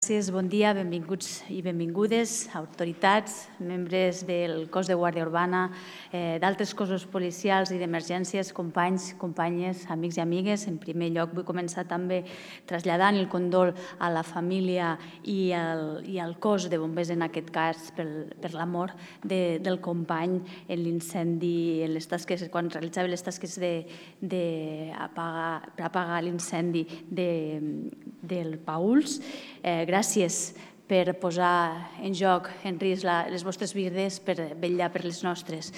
Gràcies, bon dia, benvinguts i benvingudes, autoritats, membres del cos de Guàrdia Urbana, d'altres cossos policials i d'emergències, companys, companyes, amics i amigues. En primer lloc vull començar també traslladant el condol a la família i al cos de bombers, en aquest cas, per la mort del company en l'incendi, quan realitzava les tasques per apagar l'incendi del Pauls. Gràcies per posar en joc, en risc, les vostres vides, per vetllar per les nostres.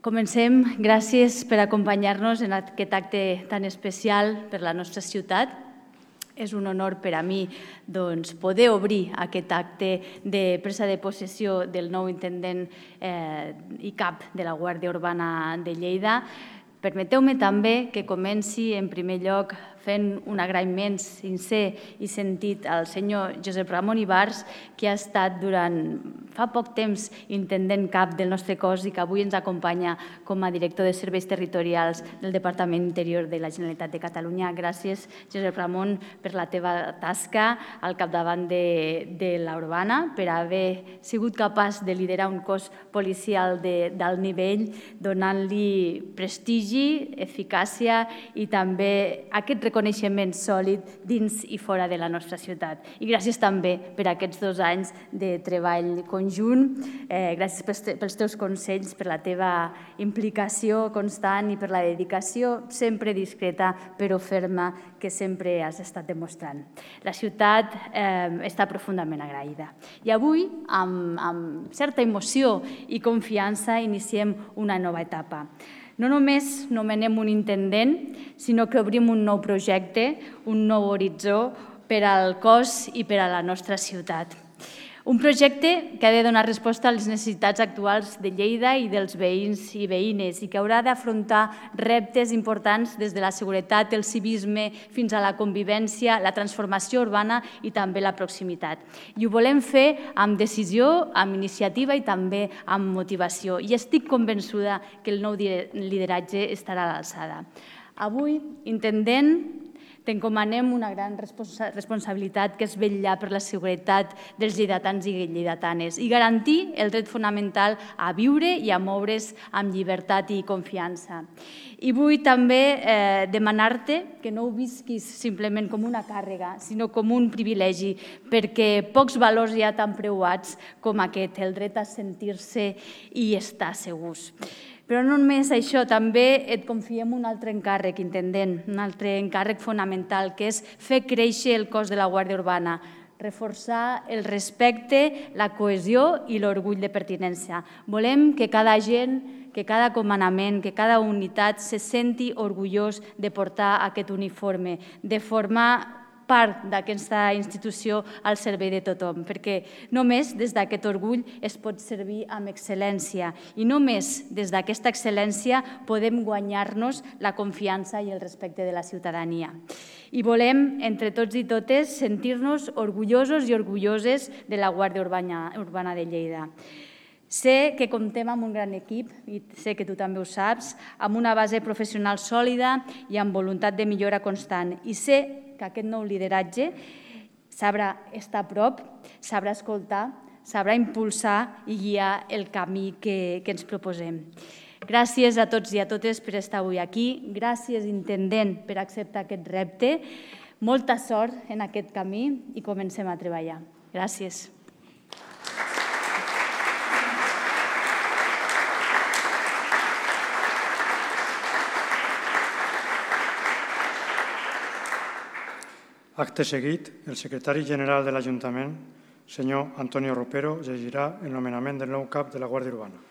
Comencem. Gràcies per acompanyar-nos en aquest acte tan especial per la nostra ciutat. És un honor per a mi poder obrir aquest acte de presa de possessió del nou intendent i cap de la Guàrdia Urbana de Lleida. Permeteu-me també que comenci, en primer lloc, fent un agraïment sincer i sentit al senyor Josep Ramon Ibars, que ha estat durant fa poc temps intendent cap del nostre cos i que avui ens acompanya com a director de serveis territorials del Departament d'Interior de la Generalitat de Catalunya. Gràcies, Josep Ramon, per la teva tasca al capdavant de la Urbana, per haver sigut capaç de liderar un cos policial d'alt nivell, donant-li prestigi, eficàcia i també aquest reconeixement sòlid dins i fora de la nostra ciutat. I gràcies també per aquests 2 anys de treball conjunt. Gràcies pels teus consells, per la teva implicació constant i per la dedicació sempre discreta però ferma que sempre has estat demostrant. La ciutat està profundament agraïda. I avui, amb certa emoció i confiança, iniciem una nova etapa. No només nomenem un intendent, sinó que obrim un nou projecte, un nou horitzó per al cos i per a la nostra ciutat. Un projecte que ha de donar resposta a les necessitats actuals de Lleida i dels veïns i veïnes i que haurà d'afrontar reptes importants des de la seguretat, el civisme, fins a la convivència, la transformació urbana i també la proximitat. I ho volem fer amb decisió, amb iniciativa i també amb motivació. I estic convençuda que el nou lideratge estarà a l'alçada. Avui, intendent, t'encomanem una gran responsabilitat, que és vetllar per la seguretat dels lleidatans i lleidatanes i garantir el dret fonamental a viure i a moure's amb llibertat i confiança. I vull també demanar-te que no ho visquis simplement com una càrrega, sinó com un privilegi, perquè pocs valors hi ha tan preuats com aquest, el dret a sentir-se i estar segurs. Però no només això, també et confiem un altre encàrrec, intendent, un altre encàrrec fonamental, que és fer créixer el cos de la Guàrdia Urbana, reforçar el respecte, la cohesió i l'orgull de pertinença. Volem que cada agent, que cada comandament, que cada unitat se senti orgullós de portar aquest uniforme, de formar part d'aquesta institució al servei de tothom, perquè només des d'aquest orgull es pot servir amb excel·lència i només des d'aquesta excel·lència podem guanyar-nos la confiança i el respecte de la ciutadania. I volem, entre tots i totes, sentir-nos orgullosos i orgulloses de la Guàrdia Urbana de Lleida. Sé que comptem amb un gran equip, i sé que tu també ho saps, amb una base professional sòlida i amb voluntat de millora constant. I sé que aquest nou lideratge sabrà estar a prop, sabrà escoltar, sabrà impulsar i guiar el camí que ens proposem. Gràcies a tots i a totes per estar avui aquí. Gràcies, intendent, per acceptar aquest repte. Molta sort en aquest camí i comencem a treballar. Gràcies. Acte seguit, el secretari general de l'Ajuntament, senyor Antonio Ropero, llegirà el nomenament del nou cap de la Guàrdia Urbana.